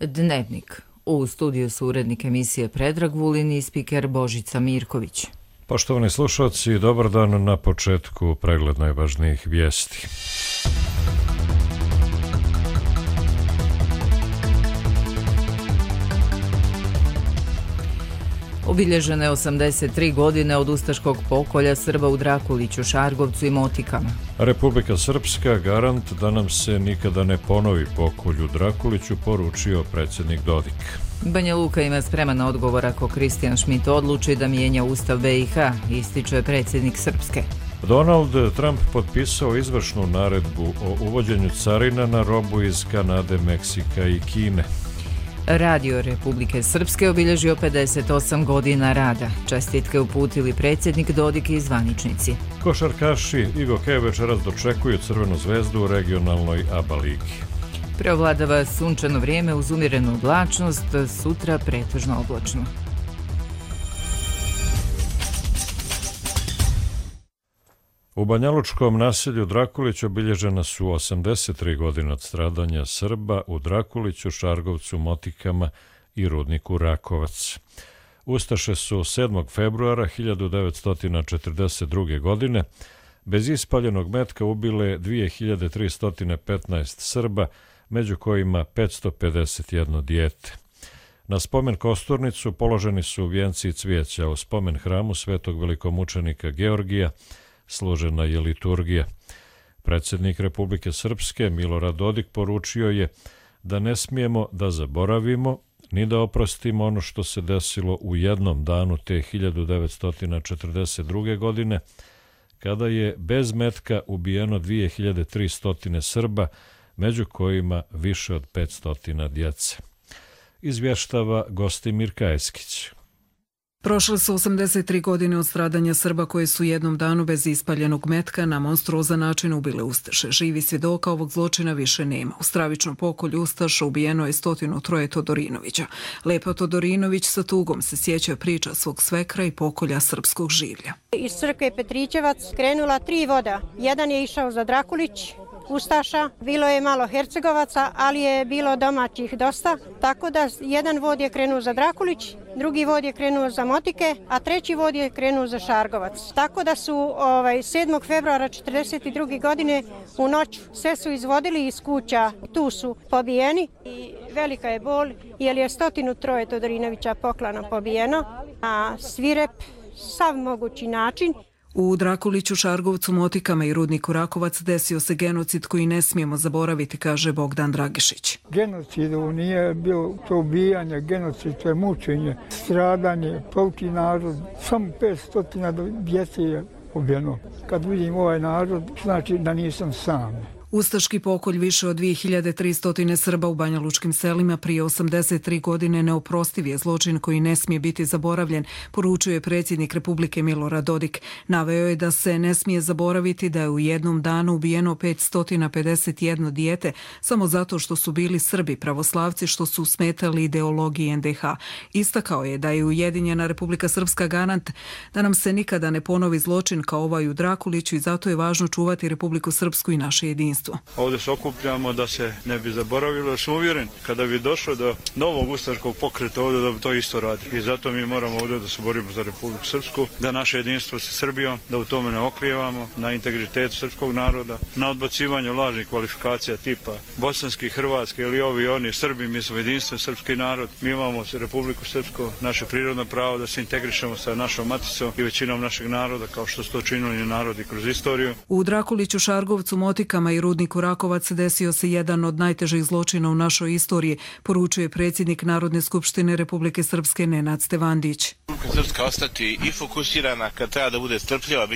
Dnevnik. U studiju su urednik emisije Predrag Vulin i spiker Božica Mirković. Poštovani slušalci, dobar dan. Na početku pregled najvažnijih vijesti. Obilježene 83 godine od ustaškog pokolja Srba u Drakuliću, Šargovcu i Motikama. Republika Srpska garant da nam se nikada ne ponovi pokolj u Drakuliću, poručio predsjednik Dodik. Banja Luka ima spreman odgovor ako Kristijan Šmit odluči da mijenja Ustav BiH, ističe predsjednik Srpske. Donald Trump potpisao izvršnu naredbu o uvođenju carina na robu iz Kanade, Meksika i Kine. Radio Republike Srpske obilježio 58 godina rada. Čestitke uputili predsjednik Dodik i zvaničnici. Košarkaši i gokeji večeras dočekuju Crvenu zvezdu u regionalnoj ABA ligi. Preovladava sunčano vrijeme uz umjerenu oblačnost, sutra pretežno oblačno. U banjalučkom naselju Drakulić obilježena su 83 godine od stradanja Srba u Drakuliću, Šargovcu, Motikama i rudniku Rakovac. Ustaše su 7. februara 1942. godine bez ispaljenog metka ubile 2315 Srba, među kojima 551 dijete. Na spomen kosturnicu položeni su vijenci i cvijeća, u spomen hramu svetog velikomučenika Georgija složena je liturgija. Predsjednik Republike Srpske Milorad Dodik poručio je da ne smijemo da zaboravimo ni da oprostimo ono što se desilo u jednom danu te 1942. godine, kada je bez metka ubijeno 2300 Srba, među kojima više od 500 djece. Izvještava Gostimir Kajeskić. Prošle su 83 godine od stradanja Srba koje su jednom danu bez ispaljenog metka na monstruozan način ubile ustaše. Živi svjedoka ovog zločina više nema. U stravičnom pokolju ustaša ubijeno je 103 Todorinovića. Lepa Todorinović sa tugom se sjeća priča svog svekra i pokolja srpskog življa. Iz crkve Petrićevac krenula 3 voda. Jedan je išao za Drakulić, ustaša, bilo je malo Hercegovaca, ali je bilo domaćih dosta, tako da jedan vod je krenuo za Drakulić, drugi vod je krenuo za Motike, a treći vod je krenuo za Šargovac. Tako da su 7. februara 1942. godine u noć sve su izvodili iz kuća, tu su pobijeni i velika je bol jer je 103 Todorinovića poklana pobijeno, a svirep sav mogući način. U Drakuliću, Šargovcu, Motikama i rudniku Rakovac desio se genocid koji ne smijemo zaboraviti, kaže Bogdan Dragišić. Genocid nije bilo to ubijanje, genocid to je mučenje, stradanje, polki narod, samo 500 djece je ubijeno. Kad vidim ovaj narod, znači da nisam sam. Ustaški pokolj više od 2300 Srba u banjalučkim selima prije 83 godine neoprostiv je zločin koji ne smije biti zaboravljen, poručuje je predsjednik Republike Milorad Dodik. Naveo je da se ne smije zaboraviti da je u jednom danu ubijeno 551 dijete samo zato što su bili Srbi, pravoslavci, što su smetali ideologiji NDH. Istakao je da je Ujedinjena Republika Srpska garant da nam se nikada ne ponovi zločin kao ovaj u Drakuliću i zato je važno čuvati Republiku Srpsku i naše jedinstvo. Ovdje se okupljamo da se ne bi zaboravilo, jer sam uvjeren kada bi došlo do novog ustaškog pokreta ovdje da bi to isto radi. I zato mi moramo ovdje da se borimo za Republiku Srpsku, da naše jedinstvo sa Srbijom, da u tome ne oklijevamo, na integritetu srpskog naroda, na odbacivanju lažnih kvalifikacija tipa bosanski, hrvatski ili ovi oni Srbi, mi smo jedinstven srpski narod, mi imamo Republiku Srpsku, naše prirodno pravo da se integrišemo sa našom maticom i većinom našeg naroda kao što su to činili narodi kroz istoriju. U Drakuliću, Šargovcu, Motikama i rudniku Rakovac desio se jedan od najtežih zločina u našoj istoriji, poručuje predsjednik Narodne skupštine Republike Srpske Nenad Stevandić. Republika Srpska ostati i fokusirana, kad treba da bude strpljiva,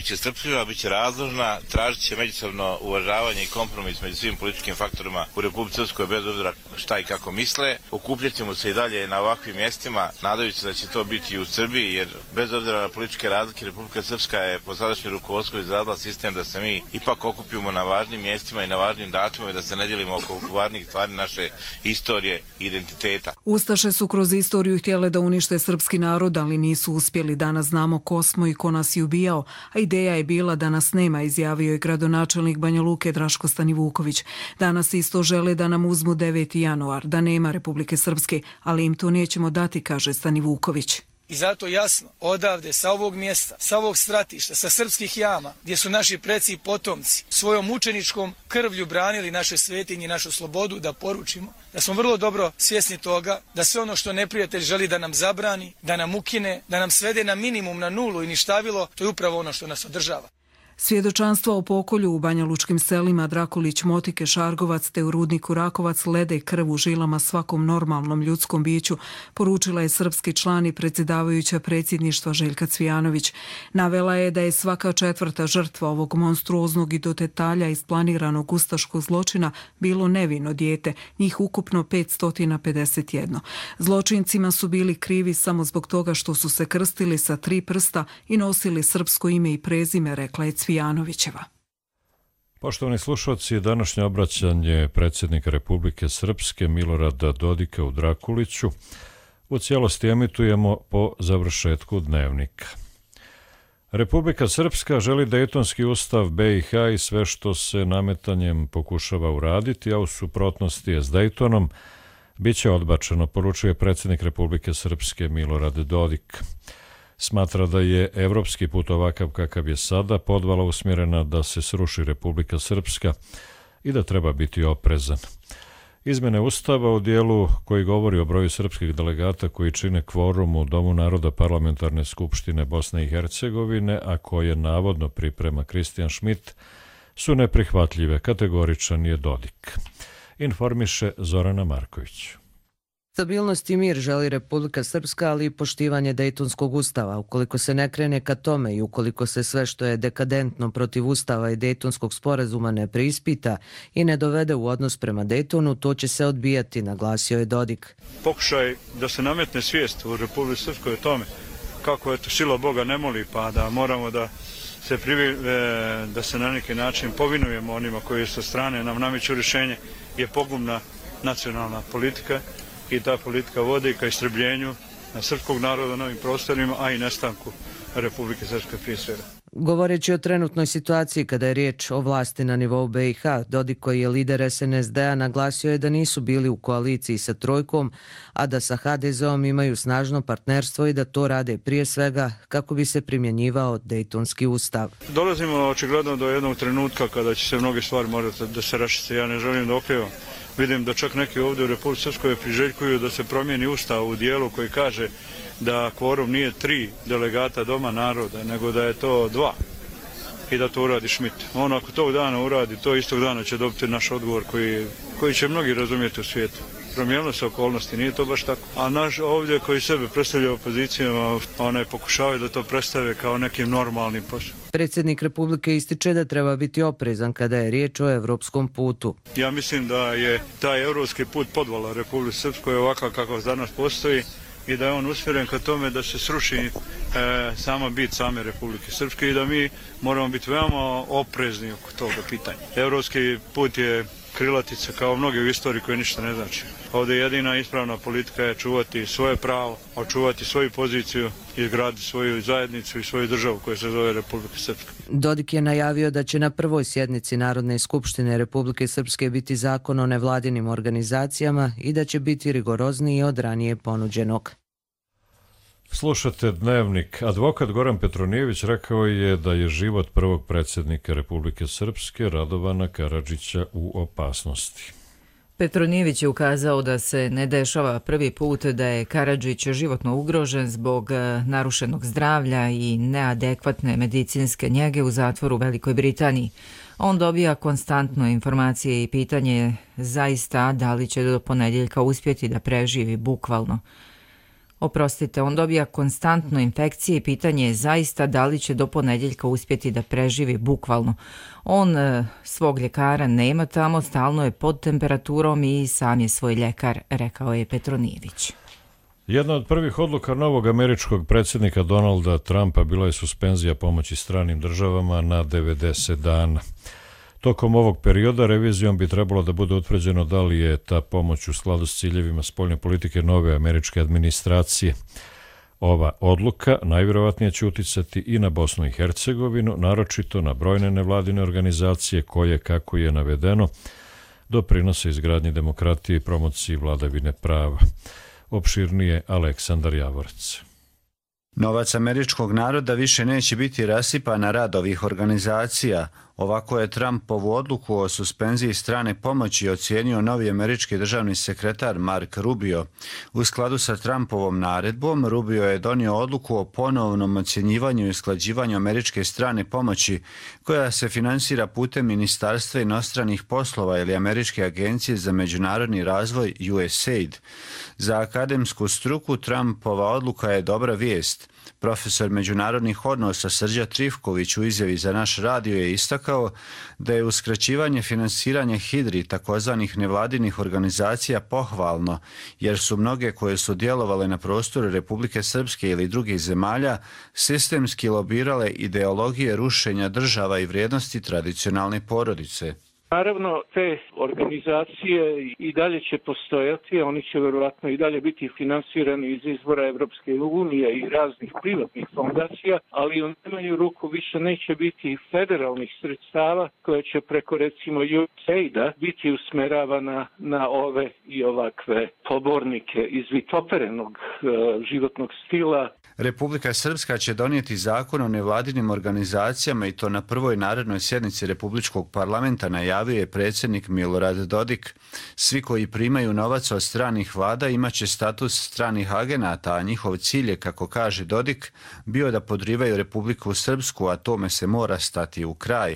bit će razložna, tražit će međusobno uvažavanje i kompromis među svim političkim faktorima u Republici Srpskoj bez obzira šta i kako misle. Okupljat ćemo se i dalje na ovakvim mjestima, nadajući da će to biti i u Srbiji, jer bez obzira na političke razlike Republika Srpska je po sadašnjem rukovodstvu izradila sistem da se mi ipak okupimo na važnim mjestima i na važnim datumima i da se ne dijelimo oko važnih stvari naše istorije i identiteta. Ustaše su kroz istoriju htjele da unište srpski narod, ali nisu uspjeli. Danas znamo ko smo i ko nas je ubijao, a ideja je bila da nas nema, izjavio je gradonačelnik Banja Luke Draško Stanivuković. Danas isto žele da nam uzmu 9. januar, da nema Republike Srpske, ali im to nećemo dati, kaže Stanivuković. I zato jasno, odavde, sa ovog mjesta, sa ovog stratišta, sa srpskih jama, gdje su naši preci i potomci svojom mučeničkom krvlju branili naše svetinje i našu slobodu, da poručimo da smo vrlo dobro svjesni toga da sve ono što neprijatelj želi da nam zabrani, da nam ukine, da nam svede na minimum, na nulu i ništavilo, to je upravo ono što nas održava. Svjedočanstva o pokolju u banjalučkim selima Drakulić, Motike, Šargovac te u rudniku Rakovac lede krv u žilama svakom normalnom ljudskom biću, poručila je srpski član i predsjedavajuća predsjedništva Željka Cvijanović. Navela je da je svaka 4. žrtva ovog monstruoznog i do detalja isplaniranog ustaškog zločina bilo nevino dijete, njih ukupno 551. Zločincima su bili krivi samo zbog toga što su se krstili sa 3 prsta i nosili srpsko ime i prezime, rekla je Cvijanovićeva. Poštovani slušalci, današnje obraćanje predsjednika Republike Srpske Milorada Dodika u Drakuliću u cijelosti emitujemo po završetku dnevnika. Republika Srpska želi Dejtonski ustav BiH i sve što se nametanjem pokušava uraditi, a u suprotnosti je s Dejtonom, bit će odbačeno, poručuje predsjednik Republike Srpske Milorad Dodik. Smatra da je evropski put ovakav kakav je sada podvala usmjerena da se sruši Republika Srpska i da treba biti oprezan. Izmjene Ustava u dijelu koji govori o broju srpskih delegata koji čine kvorum u Domu naroda Parlamentarne skupštine Bosne i Hercegovine, a koje navodno priprema Kristijan Šmit, su neprihvatljive, kategoričan je Dodik. Informiše Zorana Marković. Stabilnost i mir želi Republika Srpska, ali i poštivanje Dejtonskog ustava. Ukoliko se ne krene ka tome i ukoliko se sve što je dekadentno protiv ustava i Dejtonskog sporazuma ne preispita i ne dovede u odnos prema Dejtonu, to će se odbijati, naglasio je Dodik. Pokušaj da se nametne svijest u Republici Srpskoj o tome kako eto sila Boga ne moli, pa da moramo da se na neki način povinujemo onima koji sa strane nam nameću rješenje, je pogubna nacionalna politika. I ta politika vodi ka istrebljenju srpskog naroda na ovim prostorima, a i nestanku Republike Srpske prije svega. Govoreći o trenutnoj situaciji kada je riječ o vlasti na nivou BiH, Dodik, koji je lider SNSD-a, naglasio je da nisu bili u koaliciji sa Trojkom, a da sa HDZ-om imaju snažno partnerstvo i da to rade prije svega kako bi se primjenjivao Dejtonski ustav. Dolazimo očigledno do jednog trenutka kada će se mnoge stvari morati da se raščiste. Ja ne želim da okrivam. Vidim da čak neki ovdje u Republici Srpskoj priželjkuju da se promijeni ustav u dijelu koji kaže da kvorum nije 3 delegata Doma naroda, nego da je to 2 i da to uradi Šmit. On ako tog dana uradi, to istog dana će dobiti naš odgovor koji će mnogi razumjeti u svijetu. Promijenilo se okolnosti, nije to baš tako. A naš ovdje koji sebe predstavlja opozicijama, one pokušavaju da to predstave kao nekim normalnim poslom. Predsjednik Republike ističe da treba biti oprezan kada je riječ o evropskom putu. Ja mislim da je taj evropski put podvala Republike Srpskoj ovakav kakav danas postoji i da je on usmjeren ka tome da se sruši sama bit same Republike Srpske i da mi moramo biti veoma oprezni oko toga pitanja. Evropski put je krilatica kao mnoge u istoriji koje ništa ne znači. Ovdje jedina ispravna politika je čuvati svoje pravo, očuvati svoju poziciju i izgraditi svoju zajednicu i svoju državu koja se zove Republika Srpska. Dodik je najavio da će na prvoj sjednici Narodne skupštine Republike Srpske biti zakon o nevladinim organizacijama i da će biti rigorozniji od ranije ponuđenog. Slušate Dnevnik. Advokat Goran Petronijević rekao je da je život prvog predsjednika Republike Srpske Radovana Karadžića u opasnosti. Petronijević je ukazao da se ne dešava prvi put da je Karadžić životno ugrožen zbog narušenog zdravlja i neadekvatne medicinske njege u zatvoru u Velikoj Britaniji. On dobija konstantno informacije i pitanje je zaista da li će do ponedjeljka uspjeti da preživi bukvalno. On dobija konstantno infekcije i pitanje je zaista da li će do ponedjeljka uspjeti da preživi bukvalno. On svog ljekara nema tamo, stalno je pod temperaturom i sam je svoj ljekar, rekao je Petronijević. Jedna od prvih odluka novog američkog predsjednika Donalda Trumpa bila je suspenzija pomoći stranim državama na 90 dana. Tokom ovog perioda revizijom bi trebalo da bude utvrđeno da li je ta pomoć u skladu s ciljevima spoljne politike nove američke administracije. Ova odluka najvjerovatnije će uticati i na Bosnu i Hercegovinu, naročito na brojne nevladine organizacije koje, kako je navedeno, doprinose izgradnji demokratije i promociji vladavine prava. Opširnije Aleksandar Javorec. Novac američkog naroda više neće biti rasipan na rad ovih organizacija. Ovako je Trumpovu odluku o suspenziji strane pomoći ocijenio novi američki državni sekretar Mark Rubio. U skladu sa Trumpovom naredbom, Rubio je donio odluku o ponovnom ocjenjivanju i usklađivanju američke strane pomoći, koja se finansira putem Ministarstva inostranih poslova ili Američke agencije za međunarodni razvoj USAID. Za akademsku struku Trumpova odluka je dobra vijest. Profesor međunarodnih odnosa Srđa Trifković u izjavi za naš radio je istakao da je uskraćivanje finansiranja HIDRI, takozvanih nevladinih organizacija, pohvalno, jer su mnoge koje su djelovale na prostoru Republike Srpske ili drugih zemalja sistemski lobirale ideologije rušenja država i vrijednosti tradicionalne porodice. Naravno, te organizacije i dalje će postojati, oni će vjerovatno i dalje biti finansirani iz izvora Evropske unije i raznih privatnih fondacija, ali u najmanju ruku više neće biti federalnih sredstava koje će preko recimo USAID-a biti usmeravana na ove i ovakve pobornike izvitoperenog životnog stila. Republika Srpska će donijeti zakon o nevladinim organizacijama i to na prvoj narednoj sjednici Republičkog parlamenta, najavio je predsjednik Milorad Dodik. Svi koji primaju novac od stranih vlada imaće status stranih agenata, a njihov cilj je, kako kaže Dodik, bio da podrivaju Republiku Srpsku, a tome se mora stati u kraj.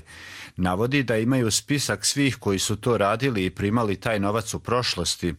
Navodi da imaju spisak svih koji su to radili i primali taj novac u prošlosti.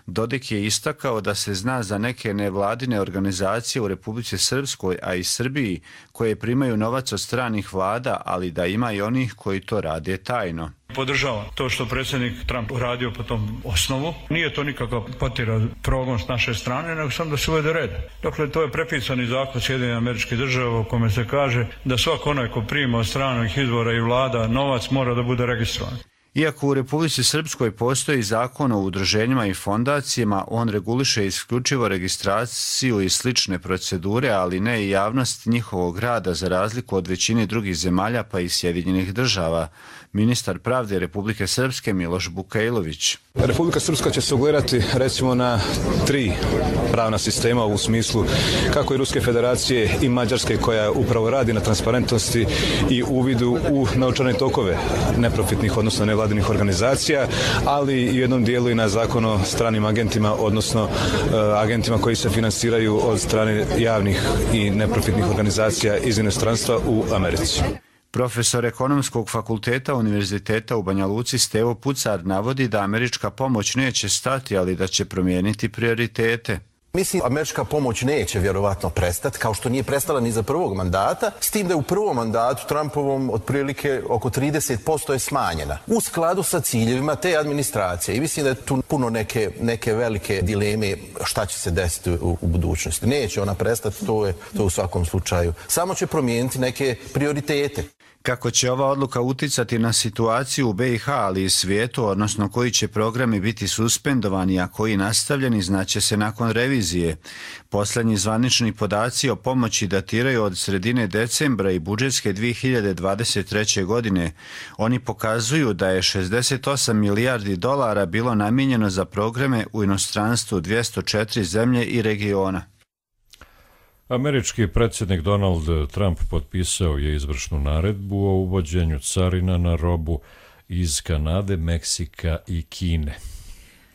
Dodik je istakao da se zna za neke nevladine organizacije u Republici Srpskoj, a i Srbiji, koje primaju novac od stranih vlada, ali da ima i onih koji to rade tajno. Podržavam to što predsjednik Trump uradio po tom osnovu. Nije to nikakav potira progon s naše strane, nego samo da se uvede red. Dakle, to je prepisani zakon Sjedinjenih Američkih Država u kome se kaže da svako onaj ko prima od stranih izvora i vlada novac mora da bude registrovan. Iako u Republici Srpskoj postoji zakon o udruženjima i fondacijama, on reguliše isključivo registraciju i slične procedure, ali ne i javnost njihovog rada, za razliku od većine drugih zemalja pa i Sjedinjenih Država. Ministar pravde Republike Srpske Miloš Bukajlović. Republika Srpska će se ugledati recimo na 3 pravna sistema u smislu kako i Ruske federacije i Mađarske, koja upravo radi na transparentnosti i uvidu u novčane tokove neprofitnih, odnosno nevladinih organizacija, ali i u jednom dijelu i na zakon o stranim agentima, odnosno agentima koji se finansiraju od strane javnih i neprofitnih organizacija iz inostranstva u Americi. Profesor ekonomskog fakulteta Univerziteta u Banja Luci Stevo Pucar navodi da američka pomoć neće stati, ali da će promijeniti prioritete. Mislim, američka pomoć neće vjerovatno prestati, kao što nije prestala ni za prvog mandata, s tim da je u prvom mandatu Trumpovom otprilike oko 30% je smanjena, u skladu sa ciljevima te administracije. I mislim da je tu puno neke velike dileme šta će se desiti u budućnosti. Neće ona prestati, to je u svakom slučaju. Samo će promijeniti neke prioritete. Kako će ova odluka uticati na situaciju u BiH, ali i svijetu, odnosno koji će programi biti suspendovani, a koji nastavljeni, znaće se nakon revizije. Posljednji zvanični podaci o pomoći datiraju od sredine decembra i budžetske 2023. godine. Oni pokazuju da je 68 milijardi dolara bilo namijenjeno za programe u inostranstvu 204 zemlje i regiona. Američki predsjednik Donald Trump potpisao je izvršnu naredbu o uvođenju carina na robu iz Kanade, Meksika i Kine.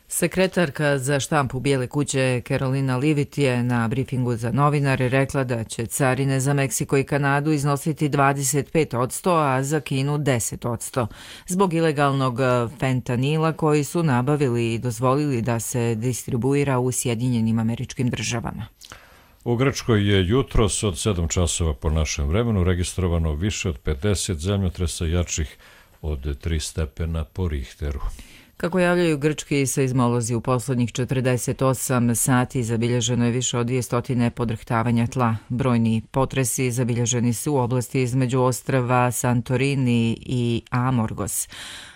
Sekretarka za štampu Bijele kuće Carolina Leavitt je na brifingu za novinare rekla da će carine za Meksiko i Kanadu iznositi 25%, a za Kinu 10%, zbog ilegalnog fentanila koji su nabavili i dozvolili da se distribuira u Sjedinjenim Američkim Državama. U Grčkoj je jutros od 7 časova po našem vremenu registrovano više od 50 zemljotresa jačih od 3 stepena po Richteru. Kako javljaju grčki seizmolozi, u poslednjih 48 sati zabilježeno je više od 200 podrhtavanja tla. Brojni potresi zabilježeni su u oblasti između ostrava Santorini i Amorgos.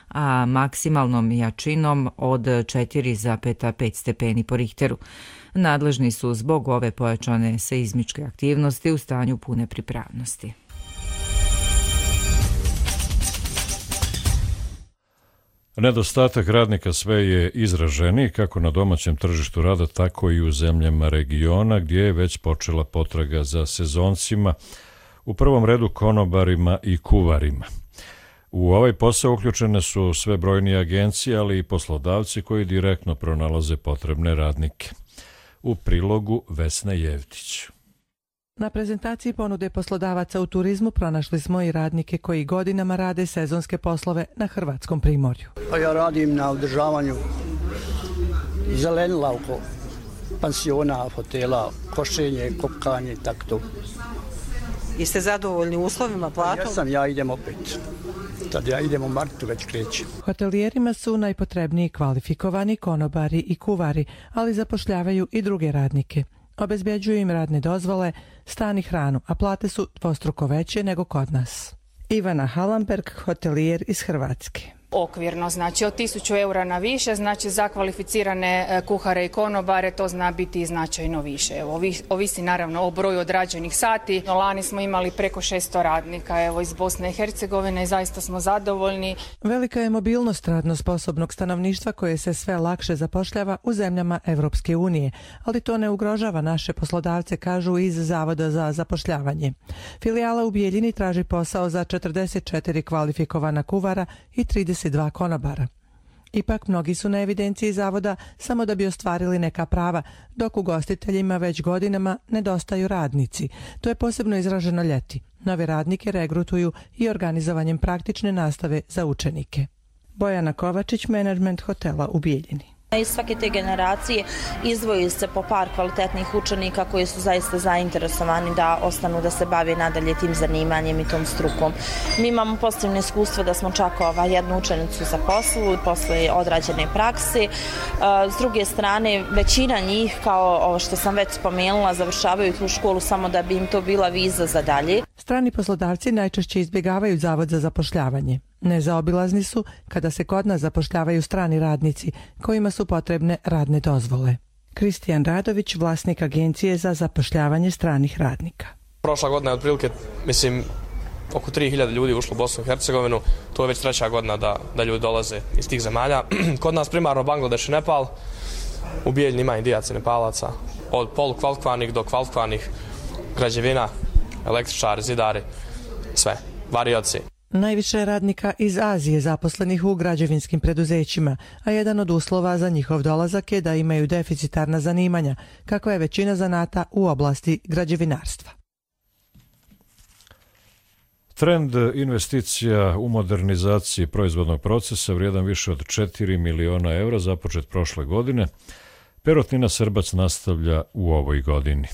a maksimalnom jačinom od 4,5 stepeni po Richteru. Nadležni su zbog ove pojačane seizmičke aktivnosti u stanju pune pripravnosti. Nedostatak radnika sve je izraženiji kako na domaćem tržištu rada, tako i u zemljama regiona gdje je već počela potraga za sezoncima, u prvom redu konobarima i kuvarima. U ovaj posao uključene su sve brojnije agencije, ali i poslodavci koji direktno pronalaze potrebne radnike. U prilogu Vesna Jevtić. Na prezentaciji ponude poslodavaca u turizmu pronašli smo i radnike koji godinama rade sezonske poslove na hrvatskom primorju. Ja radim na održavanju zelenila oko pansiona, hotela, košenje, kopkanje, tako to. Jeste zadovoljni uslovima, platom? Ja idem opet. Tad ja idem u martu, već krećem. Hotelijerima su najpotrebniji kvalifikovani konobari i kuvari, ali zapošljavaju i druge radnike. Obezbjeđuju im radne dozvole, stan i hranu, a plate su dvostruko veće nego kod nas. Ivana Halamberg, hotelijer iz Hrvatske. Okvirno, znači od 1000 eura na više, znači za kvalificirane kuhare i konobare to zna biti značajno više. Evo, ovisi naravno o broju odrađenih sati. Lani smo imali preko 600 radnika iz Bosne i Hercegovine i zaista smo zadovoljni. Velika je mobilnost radno sposobnog stanovništva koje se sve lakše zapošljava u zemljama Evropske unije, ali to ne ugrožava naše poslodavce, kažu iz Zavoda za zapošljavanje. Filijala u Bijeljini traži posao za 44 kvalifikovana kuvara i 32 konobara. Ipak mnogi su na evidenciji zavoda samo da bi ostvarili neka prava, dok ugostiteljima već godinama nedostaju radnici. To je posebno izraženo ljeti. Nove radnike regrutuju i organizovanjem praktične nastave za učenike. Bojana Kovačić, menadžment hotela u Bijeljini. Iz svake te generacije izdvoji se po par kvalitetnih učenika koji su zaista zainteresovani da ostanu da se bave nadalje tim zanimanjem i tom strukom. Mi imamo pozitivno iskustvo da smo čak jednu učenicu zaposlili posle odrađene prakse. S druge strane, većina njih, kao ovo što sam već spomenula, završavaju tu školu samo da bi im to bila viza za dalje. Strani poslodavci najčešće izbjegavaju Zavod za zapošljavanje. Nezaobilazni su kada se kod nas zapošljavaju strani radnici kojima su potrebne radne dozvole. Kristijan Radović, vlasnik agencije za zapošljavanje stranih radnika. Prošla godina je otprilike, oko 3000 ljudi ušlo u Bosnu i Hercegovinu. To je već 3. godina da ljudi dolaze iz tih zemalja. Kod nas primarno Bangladeš i Nepal. U Bijeljini ima Indijaca i Nepalaca. Od polukvalifikovanih do kvalifikovanih, građevina, električari, zidari, sve, varioci. Najviše radnika iz Azije zaposlenih u građevinskim preduzećima, a jedan od uslova za njihov dolazak je da imaju deficitarna zanimanja, kako je većina zanata u oblasti građevinarstva. Trend investicija u modernizaciji proizvodnog procesa vrijedan više od 4 miliona eura započet prošle godine, Perutnina Srbac nastavlja u ovoj godini.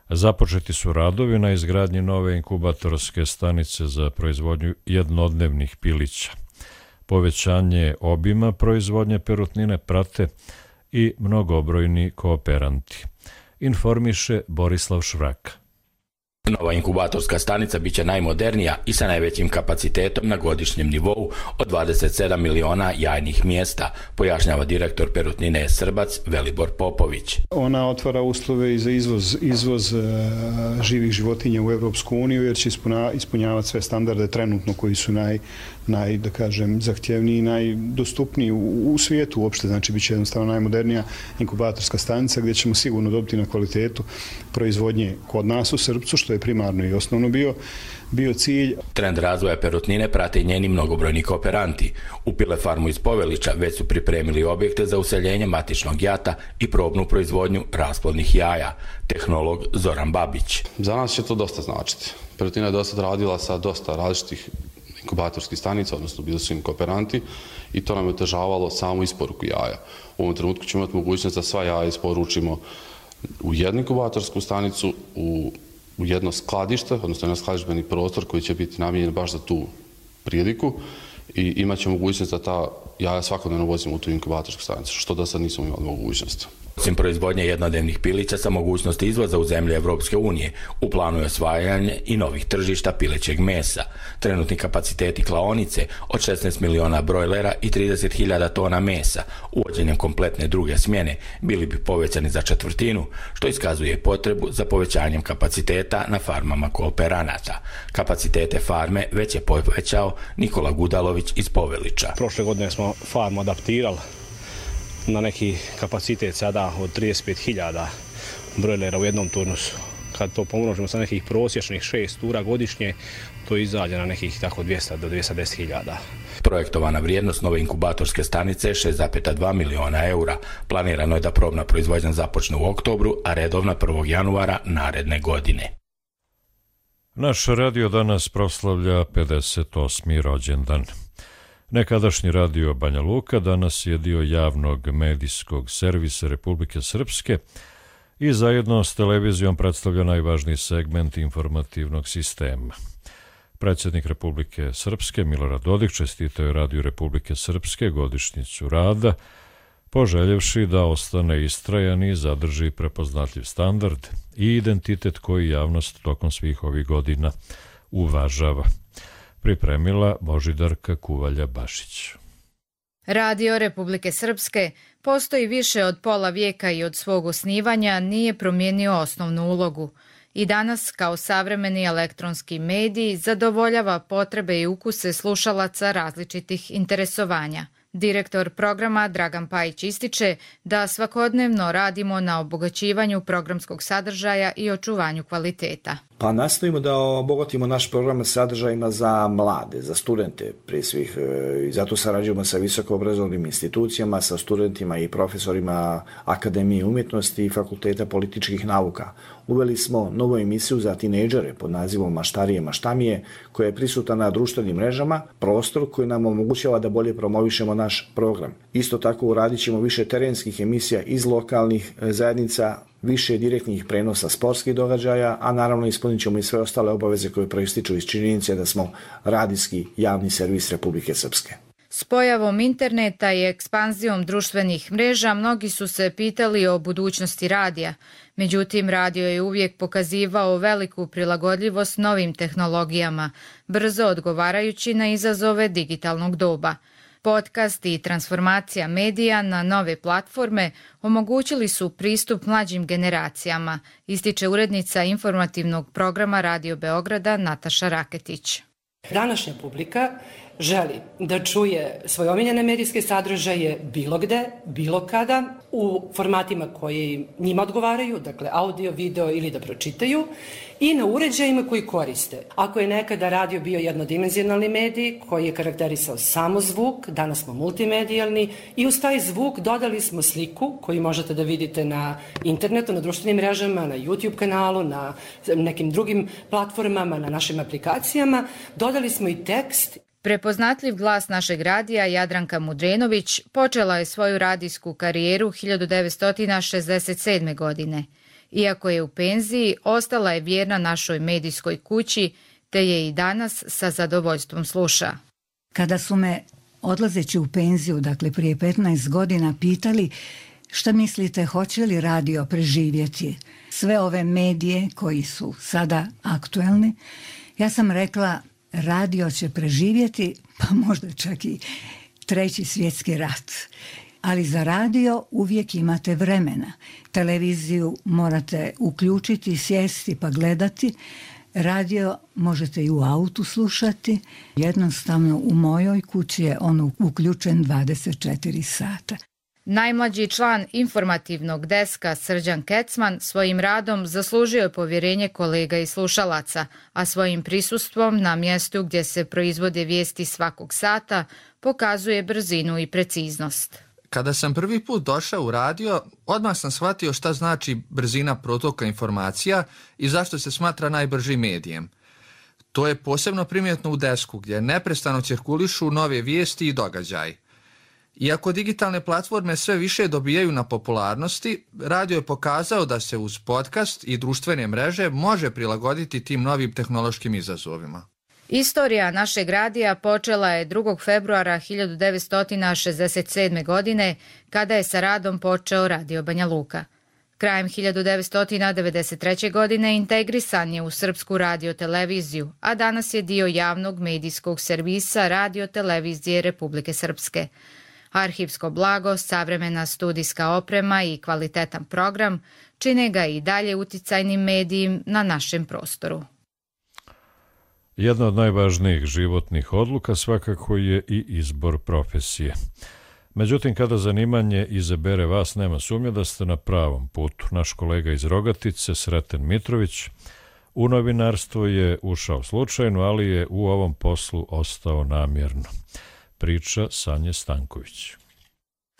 Započeti su radovi na izgradnji nove inkubatorske stanice za proizvodnju jednodnevnih pilića. Povećanje obima proizvodnje perutnine prate i mnogobrojni kooperanti. Informiše Borislav Švraka. Nova inkubatorska stanica biće najmodernija i sa najvećim kapacitetom na godišnjem nivou od 27 miliona jajnih mjesta, pojašnjava direktor Perutnine Srbac Velibor Popović. Ona otvara uslove i za izvoz živih životinja u Evropsku uniju jer će ispunjavati sve standarde trenutno koji su zahtjevniji i najdostupniji u svijetu uopšte. Znači, bit će jednostavno najmodernija inkubatorska stanica gdje ćemo sigurno dobiti na kvalitetu proizvodnje kod nas u Srpcu, što je primarno i osnovno bio cilj. Trend razvoja perutnine prate i njeni mnogobrojni kooperanti. U Pilefarmu iz Povelića već su pripremili objekte za useljenje matičnog jata i probnu proizvodnju rasplodnih jaja. Tehnolog Zoran Babić. Za nas će to dosta značiti. Perutina je dosta radila sa dosta različitih inkubatorskih stanica, odnosno bili su im kooperanti i to nam je otežavalo samu isporuku jaja. U ovom trenutku ćemo imati mogućnost da sva jaja isporučimo u jednu inkubatorsku stanicu, u jedno skladište, odnosno jedan skladištbeni prostor koji će biti namijenjen baš za tu priliku i imat će mogućnost da ta jaja svakodnevno vozimo u tu inkubatorsku stanicu, što do sad nismo imali mogućnost. Osim proizvodnje jednodnevnih pilića sa mogućnosti izvoza u zemlje Evropske unije, u planu je osvajanje i novih tržišta pilećeg mesa. Trenutni kapaciteti klaonice od 16 miliona brojlera i 30.000 tona mesa, uvođenjem kompletne druge smjene, bili bi povećani za četvrtinu, što iskazuje potrebu za povećanjem kapaciteta na farmama kooperanata. Kapacitete farme već je povećao Nikola Gudalović iz Povelića. Prošle godine smo farmu adaptirali na neki kapacitet sada od 35.000 brojlera u jednom turnusu. Kad to pomnožimo sa nekih prosječnih 6 tura godišnje, to izađe na nekih tako 200 do 210.000. Projektovana vrijednost nove inkubatorske stanice je 6,2 miliona eura. Planirano je da probna proizvodnja započne u oktobru, a redovna 1. januara naredne godine. Naš radio danas proslavlja 58. rođendan. Nekadašnji radio Banja Luka danas je dio javnog medijskog servisa Republike Srpske i zajedno s televizijom predstavlja najvažniji segment informativnog sistema. Predsjednik Republike Srpske Milorad Dodik čestitao je radiju Republike Srpske godišnjicu rada, poželjevši da ostane istrajan i zadrži prepoznatljiv standard i identitet koji javnost tokom svih ovih godina uvažava. Pripremila Božidarka Kuvalja-Bašić. Radio Republike Srpske postoji više od pola vijeka i od svog osnivanja nije promijenio osnovnu ulogu. I danas, kao savremeni elektronski medij, zadovoljava potrebe i ukuse slušalaca različitih interesovanja. Direktor programa Dragan Pajić ističe da svakodnevno radimo na obogaćivanju programskog sadržaja i očuvanju kvaliteta. Pa nastojimo da obogatimo naš program sadržajima za mlade, za studente prije svih. I zato sarađujemo sa visokoobrazovnim institucijama, sa studentima i profesorima Akademije umjetnosti i Fakulteta političkih nauka. Uveli smo novu emisiju za tinejdžere pod nazivom Maštarije maštamije, koja je prisutna na društvenim mrežama, prostor koji nam omogućava da bolje promovišemo naš program. Isto tako uradit ćemo više terenskih emisija iz lokalnih zajednica, više direktnih prenosa sportskih događaja, a naravno ispunit ćemo i sve ostale obaveze koje proističu iz činjenice da smo radijski javni servis Republike Srpske. S pojavom interneta i ekspanzijom društvenih mreža mnogi su se pitali o budućnosti radija. Međutim, radio je uvijek pokazivao veliku prilagodljivost novim tehnologijama, brzo odgovarajući na izazove digitalnog doba. Podcast i transformacija medija na nove platforme omogućili su pristup mlađim generacijama, ističe urednica informativnog programa Radio Beograda Nataša Raketić. Današnja publika želi da čuje svoje omiljene medijske sadržaje bilo gde, bilo kada, u formatima koji njima odgovaraju, dakle audio, video ili da pročitaju, i na uređajima koji koriste. Ako je nekada radio bio jednodimenzionalni medij koji je karakterisao samo zvuk, danas smo multimedijalni i uz taj zvuk dodali smo sliku koju možete da vidite na internetu, na društvenim mrežama, na YouTube kanalu, na nekim drugim platformama, na našim aplikacijama. Dodali smo i tekst. Prepoznatljiv glas našeg radija Jadranka Mudrenović počela je svoju radijsku karijeru 1967. godine. Iako je u penziji, ostala je vjerna našoj medijskoj kući, te je i danas sa zadovoljstvom sluša. Kada su me odlazeći u penziju, dakle prije 15 godina, pitali šta mislite, hoće li radio preživjeti sve ove medije koji su sada aktuelni, ja sam rekla radio će preživjeti, pa možda čak i 3. svjetski rat. Ali za radio uvijek imate vremena. Televiziju morate uključiti, sjesti pa gledati. Radio možete i u autu slušati. Jednostavno u mojoj kući je on uključen 24 sata. Najmlađi član informativnog deska Srđan Kecman svojim radom zaslužio je povjerenje kolega i slušalaca, a svojim prisustvom na mjestu gdje se proizvode vijesti svakog sata pokazuje brzinu i preciznost. Kada sam prvi put došao u radio, odmah sam shvatio šta znači brzina protoka informacija i zašto se smatra najbržim medijem. To je posebno primjetno u desku gdje neprestano cirkulišu nove vijesti i događaji. Iako digitalne platforme sve više dobijaju na popularnosti, radio je pokazao da se uz podcast i društvene mreže može prilagoditi tim novim tehnološkim izazovima. Istorija našeg radija počela je 2. februara 1967. godine, kada je sa radom počeo Radio Banja Luka. Krajem 1993. godine integrisan je u Srpsku radioteleviziju, a danas je dio javnog medijskog servisa Radiotelevizije Republike Srpske. Arhivsko blago, savremena studijska oprema i kvalitetan program čine ga i dalje uticajnim medijem na našem prostoru. Jedna od najvažnijih životnih odluka svakako je i izbor profesije. Međutim, kada zanimanje izabere vas, nema sumnje da ste na pravom putu. Naš kolega iz Rogatice, Sreten Mitrović, u novinarstvo je ušao slučajno, ali je u ovom poslu ostao namjerno. Priča Sanje Stanković.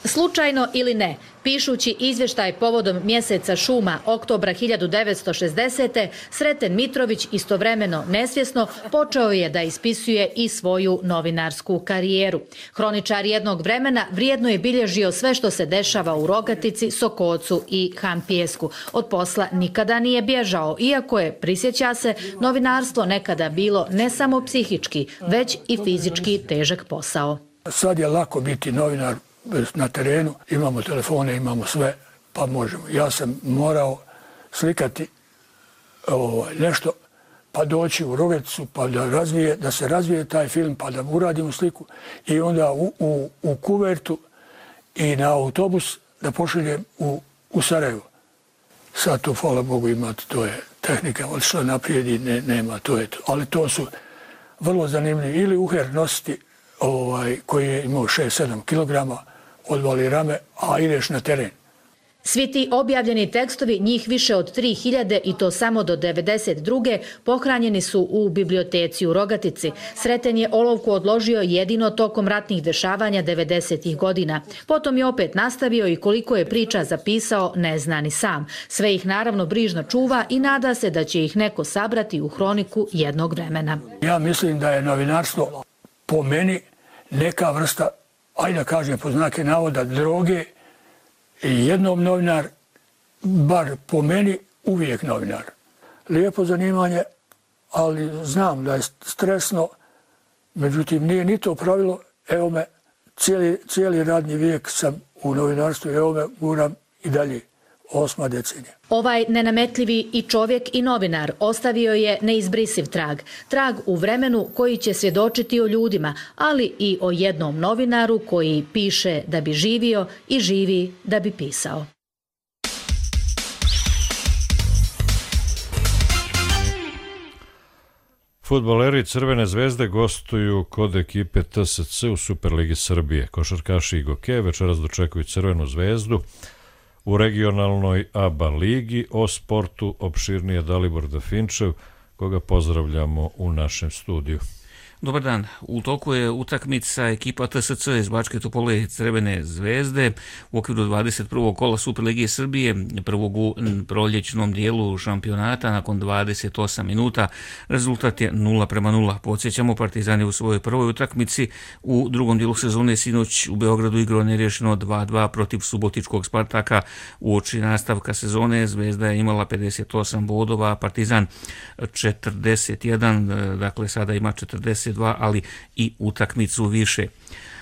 Slučajno ili ne, pišući izvještaj povodom mjeseca šuma oktobra 1960. Sreten Mitrović istovremeno nesvjesno počeo je da ispisuje i svoju novinarsku karijeru. Hroničar jednog vremena vrijedno je bilježio sve što se dešava u Rogatici, Sokocu i Hampijesku. Od posla nikada nije bježao, iako je, prisjeća se, novinarstvo nekada bilo ne samo psihički, već i fizički težak posao. Sad je lako biti novinar na terenu, imamo telefone, imamo sve, pa možemo. Ja sam morao slikati nešto, pa doći u Rogaticu, pa da se razvije taj film, pa da uradimo sliku i onda u kuvertu i na autobus da pošaljem u Sarajevo. Sad to, hvala Bogu, imate, to je tehnika, ali što naprijed i nema, to je to. Ali to su vrlo zanimljivi. Ili uher nositi koji je imao 6-7 kilograma, odvali rame, a ideš na teren. Svi ti objavljeni tekstovi, njih više od 3000 i to samo do 1992. pohranjeni su u biblioteci u Rogatici. Sreten je olovku odložio jedino tokom ratnih dešavanja 90. godina. Potom je opet nastavio i koliko je priča zapisao ne zna ni sam. Sve ih naravno brižno čuva i nada se da će ih neko sabrati u hroniku jednog vremena. Ja mislim da je novinarstvo po meni neka vrsta, ajde da kažem po znake navoda, droge. I jednom novinar, bar po meni, uvijek novinar. Lijepo zanimanje, ali znam da je stresno, međutim nije ni to pravilo. Evo me, cijeli radni vijek sam u novinarstvu, evo me, guram i dalje. 8. decenija. Ovaj nenametljivi i čovjek i novinar ostavio je neizbrisiv trag. Trag u vremenu koji će svjedočiti o ljudima, ali i o jednom novinaru koji piše da bi živio i živi da bi pisao. Fudbaleri Crvene zvezde gostuju kod ekipe TSC u Superligi Srbije. Košarkaši Igoke večeras dočekuju Crvenu zvezdu u regionalnoj ABA ligi. O sportu opširnije Dalibor Dafinčev, koga pozdravljamo u našem studiju. Dobar dan. U toku je utakmica ekipa TSC iz Bačke Topole Crvene zvezde u okviru 21. kola Superligije Srbije, prvog u proljećnom dijelu šampionata nakon 28 minuta. Rezultat je 0:0. Podsjećamo, Partizan je u svojoj prvoj utakmici u drugom dijelu sezone sinoć u Beogradu igrao neriješeno 2:2 protiv subotičkog Spartaka. Uoči nastavka sezone Zvezda je imala 58 bodova, Partizan 41, dakle sada ima 42, ali i utakmicu više.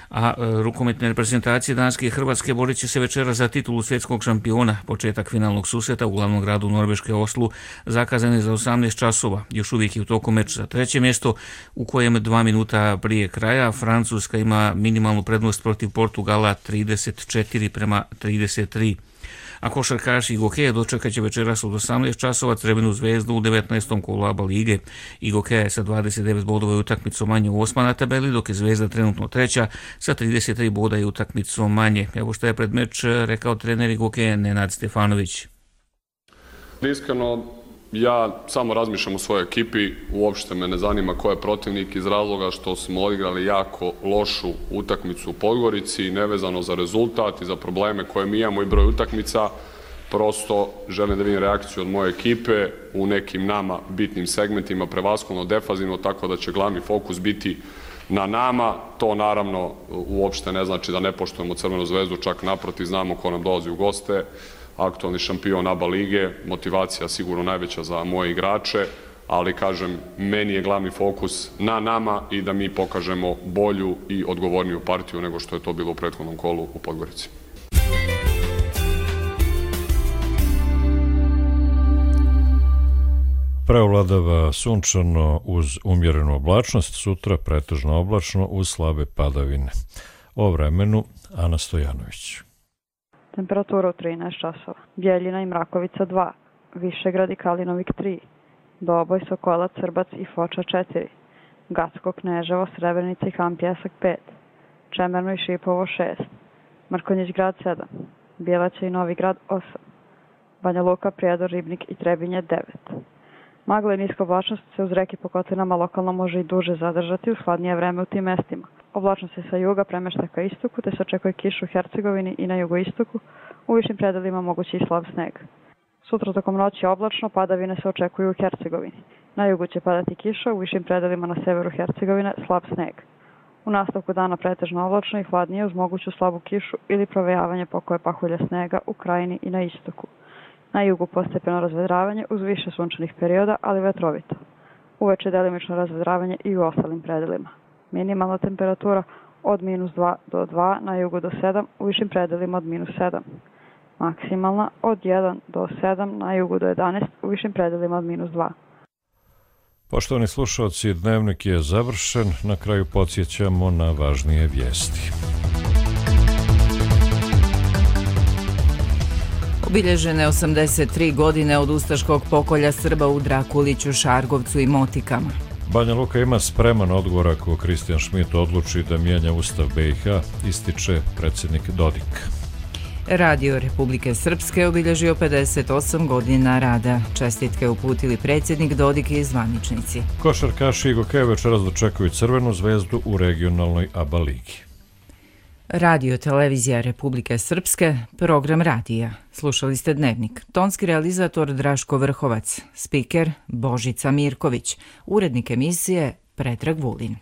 A rukometne reprezentacije Danske i Hrvatske borit će se večera za titulu svjetskog šampiona. Početak finalnog susreta u glavnom gradu Norveške Oslu zakazan je za 18 časova. Još uvijek je u toku meč za treće mjesto, u kojem 2 minuta prije kraja Francuska ima minimalnu prednost protiv Portugala 34:33. A košarkaši Igokeja dočekat će večeras od 18 časova Crvenu zvezdu u 19. kolu ABA lige. Igokeja je sa 29 bodova i utakmicom manje 8. na tabeli, dok je Zvezda trenutno 3. sa 33 boda i utakmicom manje. Evo što je pred meč rekao trener Igokeja Nenad Stefanović. Iskreno, ja samo razmišljam o svojoj ekipi, uopšte me ne zanima ko je protivnik iz razloga što smo odigrali jako lošu utakmicu u Podgorici, nevezano za rezultat i za probleme koje mi imamo i broj utakmica. Prosto želim da vidim reakciju od moje ekipe u nekim nama bitnim segmentima, prevashodno defanzivno, tako da će glavni fokus biti na nama. To naravno uopšte ne znači da ne poštujemo Crvenu zvezdu, čak naprotiv, znamo ko nam dolazi u goste. Aktualni šampion ABA lige, motivacija sigurno najveća za moje igrače, ali kažem, meni je glavni fokus na nama i da mi pokažemo bolju i odgovorniju partiju nego što je to bilo u prethodnom kolu u Podgorici. Preovladava sunčano uz umjerenu oblačnost, sutra pretežno oblačno uz slabe padavine. O vremenu Ana Stojanović. Temperatura u 13 časova. Bjeljina i Mrakovica 2, Višegrad i Kalinovik 3, Doboj, Sokolac, Srbac i Foča 4, Gacko, Kneževo, Srebrenica i Han Pjesak 5, Čemerno i Šipovo 6, Mrkonjić grad 7, Bjelaća i Novi grad 8, Banja Luka, Prijedor, Ribnik i Trebinje 9. Magla i niska oblačnost se uz reke po kotlinama lokalno može i duže zadržati uz hladnije vreme u tim mestima. Oblačnost se sa juga premešta ka istoku, te se očekuje kiš u Hercegovini i na jugoistoku, u višim predelima mogući i slab sneg. Sutra tokom noći oblačno, padavine se očekuju u Hercegovini. Na jugu će padati kiša, u višim predelima na severu Hercegovine slab sneg. U nastavku dana pretežno oblačno i hladnije uz moguću slabu kišu ili provejavanje pokoje pahulja snega u krajini i na istoku. Na jugu postepeno razvedravanje uz više sunčanih perioda, ali vetrovito. Uveče delimično razvedravanje i u ostalim predelima. Minimalna temperatura od -2 do 2, na jugu do 7, u višim predelima od -7. Maksimalna od 1 do 7, na jugu do 11, u višim predelima od -2. Poštovani slušalci, dnevnik je završen. Na kraju podsjećamo na važnije vijesti. Obilježene 83 godine od ustaškog pokolja Srba u Drakuliću, Šargovcu i Motikama. Banja Luka ima spreman odgovor ako Kristijan Šmit odluči da mijenja Ustav BiH, ističe predsjednik Dodik. Radio Republike Srpske obilježio 58 godina rada. Čestitke uputili predsjednik Dodik i zvaničnici. Košarkaši i Gokeje večeras dočekuju Crvenu zvezdu u regionalnoj ABA ligi. Radio Televizija Republike Srpske, program radija. Slušali ste Dnevnik. Tonski realizator Draško Vrhovac, spiker Božica Mirković, urednik emisije Predrag Vulin.